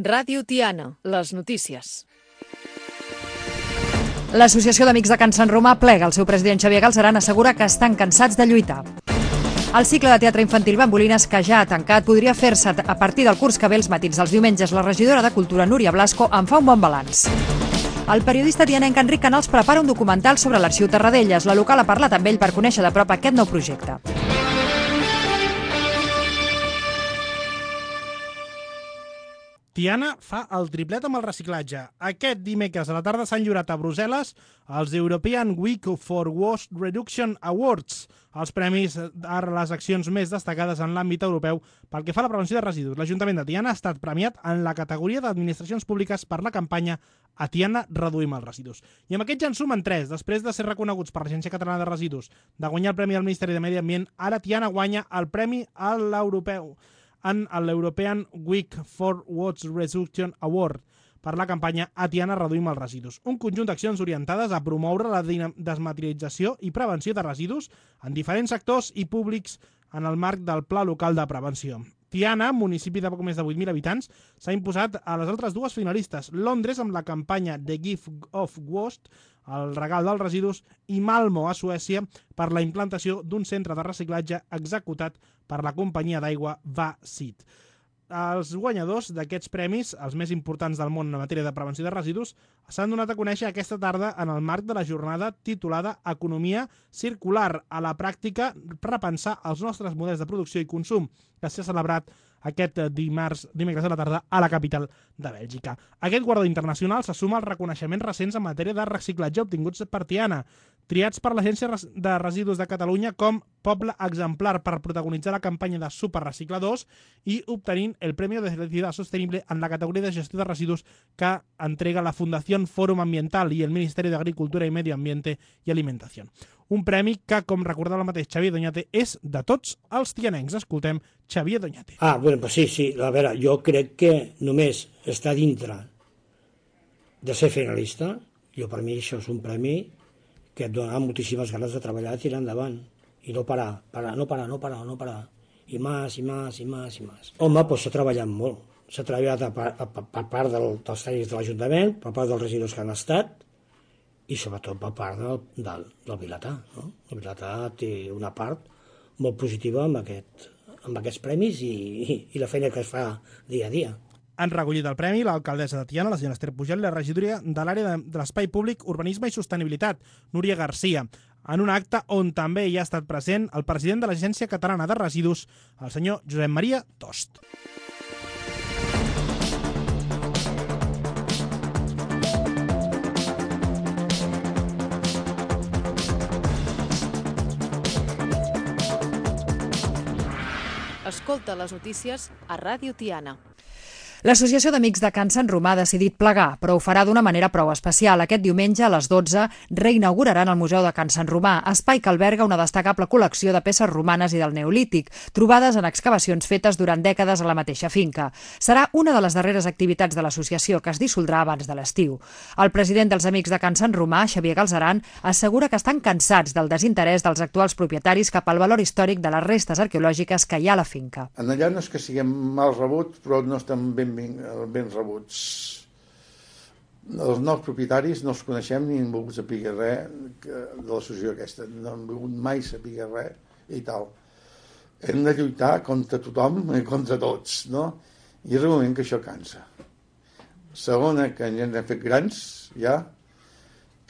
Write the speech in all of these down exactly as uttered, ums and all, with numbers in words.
Ràdio Tiana, les notícies. L'Associació d'Amics de Can Sant Romà plega. El seu president Xavier Galzeran assegura que estan cansats de lluitar. El cicle de teatre infantil Bambolines, que ja ha tancat, podria fer-se a partir del curs que ve els matins dels diumenges. La regidora de Cultura, Núria Blasco, en fa un bon balanç. El periodista tianenc Enric Canals prepara un documental sobre l'Arxiu Tarradellas. La local ha parlat amb ell per conèixer de prop aquest nou projecte. Tiana fa el triplet amb el reciclatge. Aquest dimecres a la tarda s'han lliurat a Brussel·les els European Week for Waste Reduction Awards, els premis a les accions més destacades en l'àmbit europeu pel que fa a la prevenció de residus. L'Ajuntament de Tiana ha estat premiat en la categoria d'administracions públiques per la campanya A Tiana reduïm els residus. I amb aquests ja en sumen tres. Després de ser reconeguts per l'Agència Catalana de Residus, de guanyar el Premi del Ministeri de Medi Ambient, ara Tiana guanya el Premi a l'Europeu en l'European Week for Waste Reduction Award per la campanya A Tiana reduïm els residus. Un conjunt d'accions orientades a promoure la desmaterialització i prevenció de residus en diferents sectors i públics en el marc del Pla Local de Prevenció. Tiana, municipi de poc més de vuit mil habitants, s'ha imposat a les altres dues finalistes, Londres amb la campanya The Gift of Waste, el regal dels residus, i Malmo, a Suècia, per la implantació d'un centre de reciclatge executat per la companyia d'aigua Vasit. Els guanyadors d'aquests premis, els més importants del món en matèria de prevenció de residus, s'han donat a conèixer aquesta tarda en el marc de la jornada titulada Economia circular a la pràctica, repensar els nostres models de producció i consum, que s'ha celebrat aquest dimarts, dimecres a la tarda a la capital de Bèlgica. Aquest guardó internacional se suma als reconeixements recents en matèria de reciclatge obtinguts per Tiana, triats per l'Agència de Residus de Catalunya com Poble Exemplar per protagonitzar la campanya de Superrecicladors i obtenint el Premi de Felicidad Sostenible en la categoria de gestió de residus que entrega la Fundació Fòrum Ambiental i el Ministeri d'Agricultura i Medi Ambiente i Alimentació. Un premi que, com recordava el mateix Xavier Doñate, és de tots els tianencs. Escoltem Xavier Doñate. Ah, bueno, pues sí, sí. A veure, jo crec que només estar dintre de ser finalista, jo per mi això és un premi que et donarà moltíssimes ganes de treballar i tirar endavant. I no parar, parar, no parar, no parar, no parar. I més, i més, i més, i més. Home, doncs s'ha treballat molt. S'ha treballat a, a, a, per part del, dels tècnics de l'Ajuntament, per part dels residus que han estat, i sobretot per part del, del, del Vilatà. No? El Vilatà té una part molt positiva amb, aquest, amb aquests premis i, i, i la feina que es fa dia a dia. Han recollit el premi l'alcaldessa de Tiana, la senyora Esther Pujol, i la regidoria de l'àrea de, de l'espai públic, urbanisme i sostenibilitat, Núria Garcia, en un acte on també hi ha estat present el president de l'Agència Catalana de Residus, el senyor Josep Maria Tost. Escolta les notícies a Ràdio Tiana. L'Associació d'Amics de Can Sant Romà ha decidit plegar, però ho farà d'una manera prou especial. Aquest diumenge a les dotze reinauguraran el Museu de Can Sant Romà, espai que alberga una destacable col·lecció de peces romanes i del Neolític, trobades en excavacions fetes durant dècades a la mateixa finca. Serà una de les darreres activitats de l'associació, que es dissoldrà abans de l'estiu. El president dels Amics de Can Sant Romà, Xavier Galzeran, assegura que estan cansats del desinterès dels actuals propietaris cap al valor històric de les restes arqueològiques que hi ha a la finca. En allà no és que siguem mal rebuts, però no estem ben ben, ben rebuts. Els nous propietaris no els coneixem ni hem volgut saber res de l'associació aquesta, no hem volgut mai saber res i tal. Hem de lluitar contra tothom i contra tots, no? I és un moment que això cansa. Segona, que ja ens hem fet grans, ja.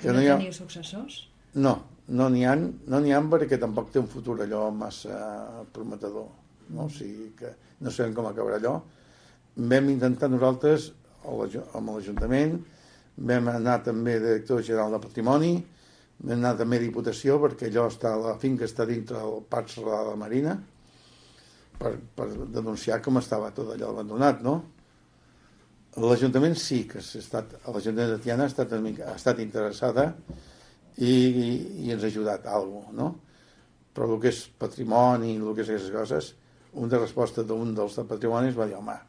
Que no, no hi ha... teniu successors? No, no n'hi ha, no n'hi ha perquè tampoc té un futur allò massa prometedor, no? O sigui que no sabem com acabarà allò. Vam intentar nosaltres, amb l'Ajuntament, vam anar també de director general de Patrimoni, vam anar també a Diputació, perquè allò està, la finca està dintre del Parc Serralada de la Marina, per, per denunciar com estava tot allò abandonat, no? L'Ajuntament sí que ha estat, l'Ajuntament de Tiana ha estat, ha estat interessada i, i, i ens ha ajudat a alguna cosa, no? Però el que és patrimoni, el que és aquestes coses, una resposta d'un dels de patrimonis va dir, home,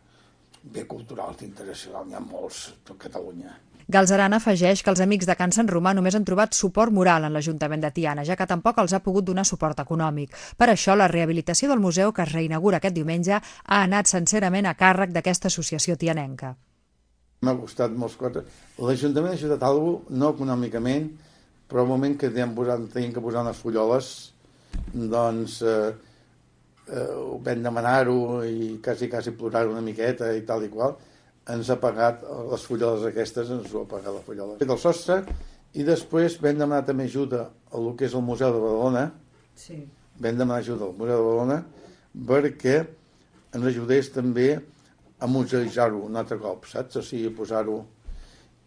bé cultural i internacional, n'hi ha molts a Catalunya. Galzeran afegeix que els Amics de Can Sant Romà només han trobat suport moral en l'Ajuntament de Tiana, ja que tampoc els ha pogut donar suport econòmic. Per això, la rehabilitació del museu, que es reinaugura aquest diumenge, ha anat sincerament a càrrec d'aquesta associació tianenca. M'ha costat molts coses. L'Ajuntament ha ajudat alguna cosa, no econòmicament, però al moment que teníem que posar unes fulloles, doncs eh, eh, vam demanar-ho i quasi, quasi plorar una miqueta i tal i qual. Ens ha pagat les fulloles aquestes, ens ho ha pagat la fullola. Del sostre, i després vam demanar també ajuda a el que és el Museu de Badalona. Sí. Vam demanar ajuda al Museu de Badalona perquè ens ajudés també a museïtzar-ho un altre cop, saps? O sigui, posar-ho...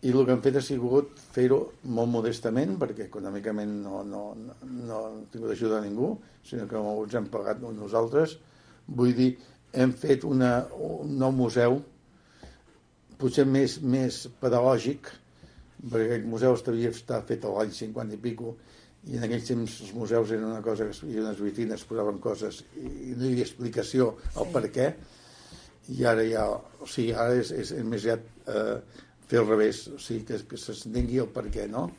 I el que hem fet ha sigut fer-ho molt modestament, perquè econòmicament no, no, no, no hem tingut ajuda a ningú, sinó que ens hem pagat nosaltres. Vull dir, hem fet una, un nou museu, potser més, més pedagògic, perquè aquell museu havia estat fet a l'any cinquanta i pico, i en aquells temps els museus eren una cosa que hi havia unes vitrines, posaven coses i no hi havia explicació al per què, i ara ja, o sigui, ara és, és més aviat eh, fer al revés, o sigui, que, que s'entengui el per què, no?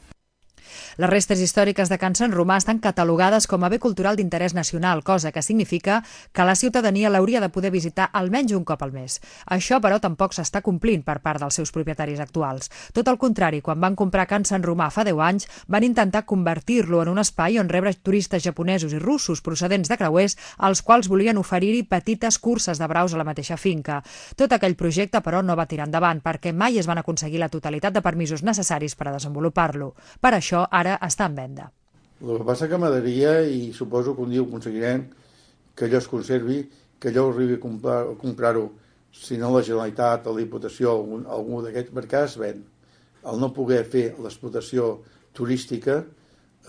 Les restes històriques de Can Sant Romà estan catalogades com a bé cultural d'interès nacional, cosa que significa que la ciutadania l'hauria de poder visitar almenys un cop al mes. Això, però, tampoc s'està complint per part dels seus propietaris actuals. Tot el contrari, quan van comprar Can Sant Romà fa deu anys, van intentar convertir-lo en un espai on rebre turistes japonesos i russos procedents de creuers, als quals volien oferir-hi petites curses de braus a la mateixa finca. Tot aquell projecte, però, no va tirar endavant, perquè mai es van aconseguir la totalitat de permisos necessaris per a desenvolupar-lo. Per això, ara està en venda. El que passa que m'agradaria, i suposo que un dia ho aconseguirem, que allò es conservi, que allò arribi a comprar-ho, comprar si no la Generalitat o la Diputació, algun, algú d'aquests, perquè es ven. El no poder fer l'explotació turística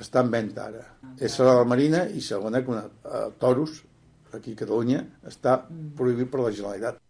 està en venda ara. És a la Marina i segona, que una, a Toros, aquí a Catalunya, està prohibit per la Generalitat.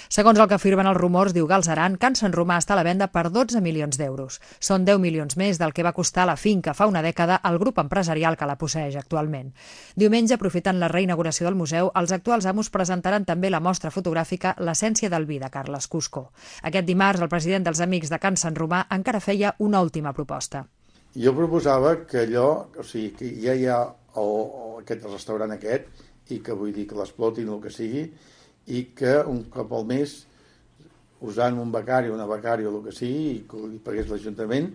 Segons el que afirmen els rumors, diu Galzeran, Can Sant Romà està a la venda per dotze milions d'euros. Són deu milions més del que va costar la finca fa una dècada al grup empresarial que la posseeix actualment. Diumenge, aprofitant la reinauguració del museu, els actuals amos presentaran també la mostra fotogràfica L'essència del vi de Carles Cusco. Aquest dimarts, el president dels Amics de Can Sant Romà encara feia una última proposta. Jo proposava que allò, o sigui, que ja hi ha el, aquest restaurant aquest, i que vull dir que l'explotin el que sigui, i que un cop al mes, usant un becari o una becària o el que sigui, i que li pagués l'Ajuntament,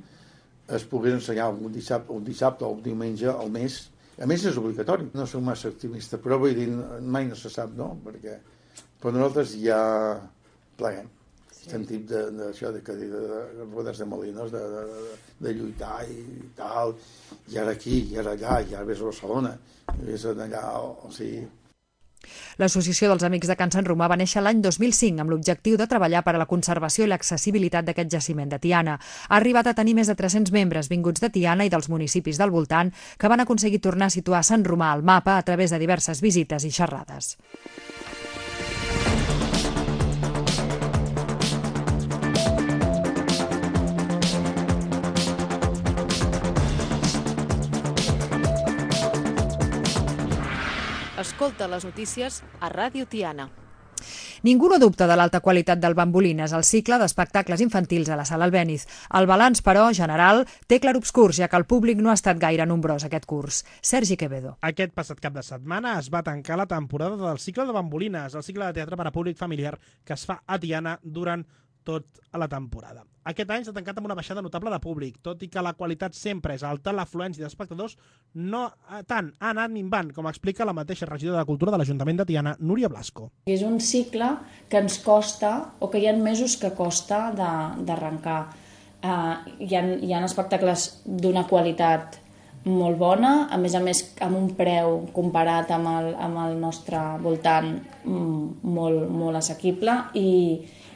es pogués ensenyar un dissabte, un dissabte o un diumenge al mes. A més, és obligatori. No soc massa optimista, però vull dir, mai no se sap, no? Perquè per nosaltres ja pleguem. Sí. Sentit d'això, de, de, de, de, de rodes de molinos, de, de, de, de lluitar i tal, i ara aquí, i ara allà, i ara ves a Barcelona, i ves allà, o sigui... L'Associació dels Amics de Can Sant Romà va néixer l'any dos mil cinc amb l'objectiu de treballar per a la conservació i l'accessibilitat d'aquest jaciment de Tiana. Ha arribat a tenir més de tres-cents membres vinguts de Tiana i dels municipis del voltant que van aconseguir tornar a situar Sant Romà al mapa a través de diverses visites i xerrades. Escolta les notícies a Ràdio Tiana. Ningú no dubta de l'alta qualitat del Bambolines, el cicle d'espectacles infantils a la Sala Albéniz. El balanç, però, general, té clarobscurs, ja que el públic no ha estat gaire nombrós aquest curs. Sergi Quevedo. Aquest passat cap de setmana es va tancar la temporada del cicle de Bambolines, el cicle de teatre per a públic familiar que es fa a Tiana durant tot a la temporada. Aquest any s'ha tancat amb una baixada notable de públic, tot i que la qualitat sempre és alta, l'afluència d'espectadors no tant ha anat minvant, com explica la mateixa regidora de Cultura de l'Ajuntament de Tiana, Núria Blasco. És un cicle que ens costa, o que hi ha mesos que costa d'arrencar. Uh, hi, ha, hi ha espectacles d'una qualitat molt bona, a més a més amb un preu comparat amb el, amb el nostre voltant molt, molt assequible, i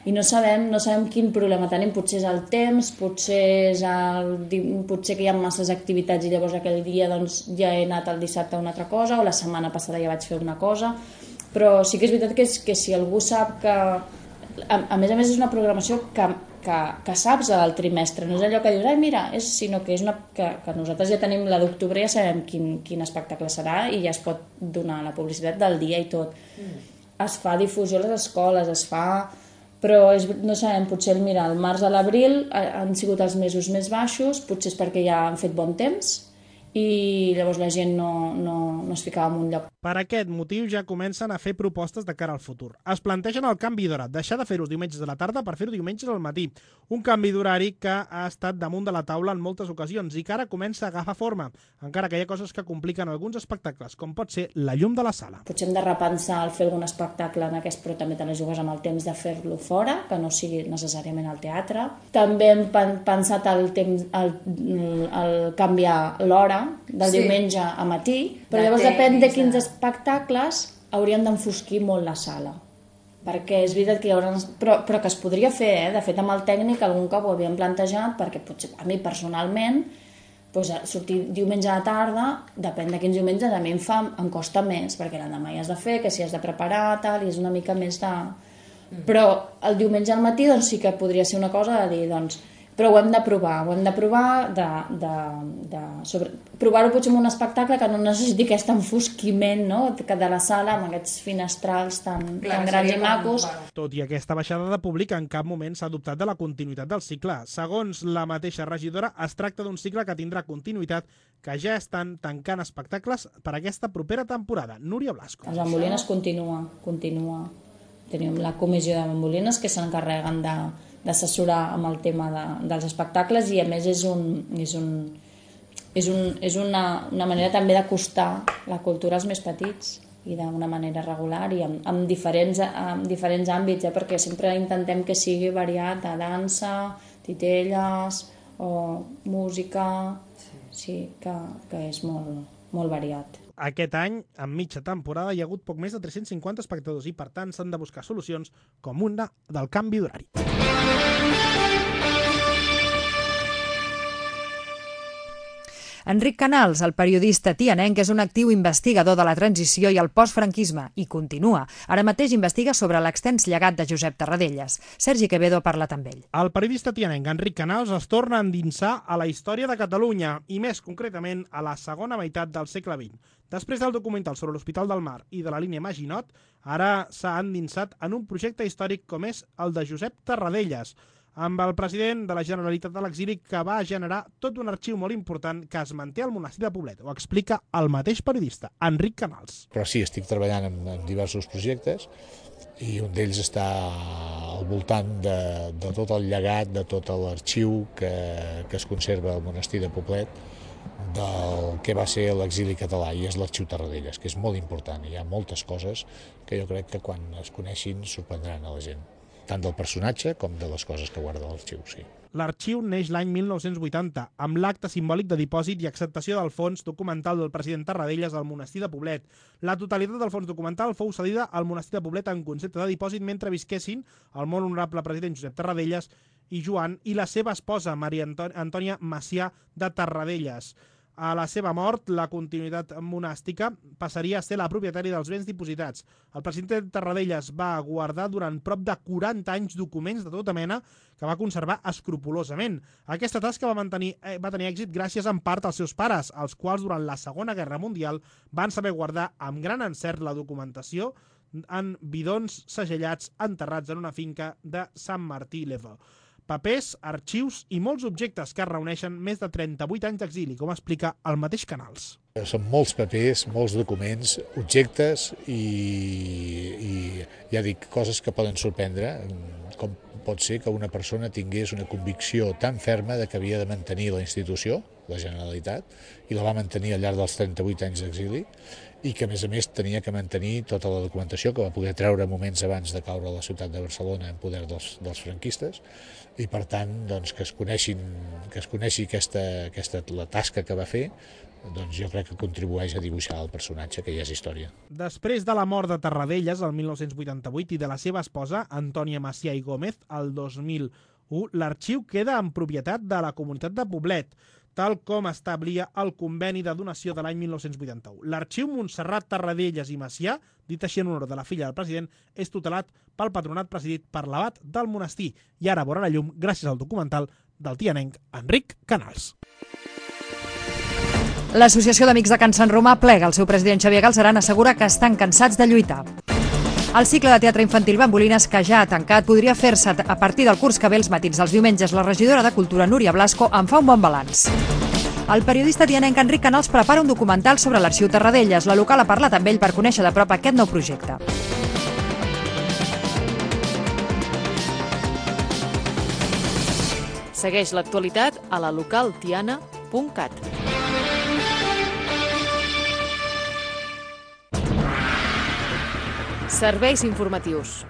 i no sabem, no sabem quin problema tenim, potser és el temps, potser, és el, potser que hi ha masses activitats i llavors aquell dia doncs, ja he anat el dissabte a una altra cosa, o la setmana passada ja vaig fer una cosa, però sí que és veritat que, és, que si algú sap que... A, a més a més és una programació que, que, que saps al trimestre, no és allò que dius, ai mira, és, sinó que és una, que, que nosaltres ja tenim la d'octubre, ja sabem quin, quin espectacle serà i ja es pot donar la publicitat del dia i tot. Mm. Es fa difusió a les escoles, es fa... Però és, no sabem, potser mira, el març a l'abril han sigut els mesos més baixos, potser és perquè ja han fet bon temps i llavors la gent no, no, no es ficava en un lloc. Per aquest motiu ja comencen a fer propostes de cara al futur. Es plantegen el canvi d'hora, deixar de fer-ho diumenges a la tarda per fer-ho diumenges al matí. Un canvi d'horari que ha estat damunt de la taula en moltes ocasions i que ara comença a agafar forma, encara que hi ha coses que compliquen alguns espectacles, com pot ser la llum de la sala. Potser hem de repensar el fer algun espectacle en aquest, però també te la jugues amb el temps de fer-lo fora, que no sigui necessàriament al teatre. També hem pensat el, temps, el, el canviar l'hora del sí. diumenge a matí, però de llavors temps, depèn de quins espectacles haurien d'enfosquir molt la sala. Perquè és veritat que hi haurà... Però, però que es podria fer, eh? De fet, amb el tècnic algun cop ho havíem plantejat, perquè potser a mi personalment doncs, sortir diumenge a la tarda, depèn de quins diumenges, a mi em, fa, em costa més, perquè l'endemà hi has de fer, que si has de preparar, tal, i és una mica més de... Però el diumenge al matí doncs, sí que podria ser una cosa de dir, doncs, però ho hem de provar, ho hem de provar de, de, de sobre... provar-ho potser en un espectacle que no necessiti aquest enfosquiment, no? Que de la sala amb aquests finestrals tan, Clar, tan grans i macos. Tot i aquesta baixada de públic, en cap moment s'ha dubtat de la continuïtat del cicle. Segons la mateixa regidora, es tracta d'un cicle que tindrà continuïtat, que ja estan tancant espectacles per aquesta propera temporada. Núria Blasco. Els Bambolines continua, continua. Tenim la comissió de Bambolines que s'encarreguen de d'assessorar amb el tema de, dels espectacles i a més és, un, és, un, és, un, és una, una manera també d'acostar la cultura als més petits i d'una manera regular i amb, amb, diferents, amb diferents àmbits, eh? Perquè sempre intentem que sigui variat de dansa, titelles o música, sí, sí que, que és molt, molt variat. Aquest any, en mitja temporada, hi ha hagut poc més de tres-cents cinquanta espectadors i, per tant, s'han de buscar solucions com una del canvi d'horari. Enric Canals, el periodista tianenc, és un actiu investigador de la transició i el postfranquisme, i continua. Ara mateix investiga sobre l'extens llegat de Josep Tarradellas. Sergi Quevedo parla amb ell. El periodista tianenc Enric Canals es torna a endinsar a la història de Catalunya, i més concretament a la segona meitat del segle vint. Després del documental sobre l'Hospital del Mar i de la línia Maginot, ara s'ha endinsat en un projecte històric com és el de Josep Tarradellas, amb el president de la Generalitat a l'exili, que va generar tot un arxiu molt important que es manté al monestir de Poblet. Ho explica el mateix periodista, Enric Canals. Però sí, estic treballant en, en diversos projectes i un d'ells està al voltant de, de tot el llegat, de tot l'arxiu que, que es conserva al monestir de Poblet del que va ser l'exili català, i és l'arxiu Tarradellas, que és molt important. Hi ha moltes coses que jo crec que quan es coneixin sorprendran a la gent, tant del personatge com de les coses que guarda l'arxiu, sí. L'arxiu neix l'any mil nou-cents vuitanta, amb l'acte simbòlic de dipòsit i acceptació del fons documental del president Tarradellas al monestir de Poblet. La totalitat del fons documental fou cedida al monestir de Poblet en concepte de dipòsit mentre visquessin el molt honorable president Josep Tarradellas i Joan i la seva esposa, Maria Antònia Macià de Tarradellas. A la seva mort, la continuïtat monàstica passaria a ser la propietària dels béns dipositats. El president Tarradellas va guardar durant prop de quaranta anys documents de tota mena que va conservar escrupolosament. Aquesta tasca va, mantenir, eh, va tenir èxit gràcies en part als seus pares, els quals durant la Segona Guerra Mundial van saber guardar amb gran encert la documentació en bidons segellats enterrats en una finca de Sant Martí-l'Evo. Papers, arxius i molts objectes que reuneixen més de trenta-vuit anys d'exili, com explica el mateix Canals. Són molts papers, molts documents, objectes i, i ja dic, coses que poden sorprendre, com pot ser que una persona tingués una convicció tan ferma de que havia de mantenir la institució, la Generalitat, i la va mantenir al llarg dels trenta-vuit anys d'exili, i que a més a més tenia que mantenir tota la documentació que va poder treure moments abans de caure a la ciutat de Barcelona en poder dels, dels franquistes, i per tant doncs, que es coneixin, que es coneixi aquesta, aquesta, la tasca que va fer, doncs jo crec que contribueix a dibuixar el personatge, que ja és història. Després de la mort de Tarradellas el mil nou-cents vuitanta-vuit i de la seva esposa, Antònia Macià i Gómez, el dos mil u, l'arxiu queda en propietat de la comunitat de Poblet, tal com establia el conveni de donació de l'any mil nou-cents vuitanta-u. L'arxiu Montserrat Tarradellas i Macià, dit així en honor de la filla del president, és tutelat pel patronat presidit per l'abat del monestir i ara veurà la llum gràcies al documental del tianenc Enric Canals. L'Associació d'Amics de Can Sant Romà plega. El seu president Xavier Galceran assegura que estan cansats de lluitar. El cicle de teatre infantil Bambolines, que ja ha tancat, podria fer-se a partir del curs que ve els matins dels diumenges. La regidora de Cultura, Núria Blasco, en fa un bon balanç. El periodista tianenc Enric Canals prepara un documental sobre l'Arxiu Tarradellas. La local ha parlat amb ell per conèixer de prop aquest nou projecte. Segueix l'actualitat a la local tiana punt cat. Serveis informatius.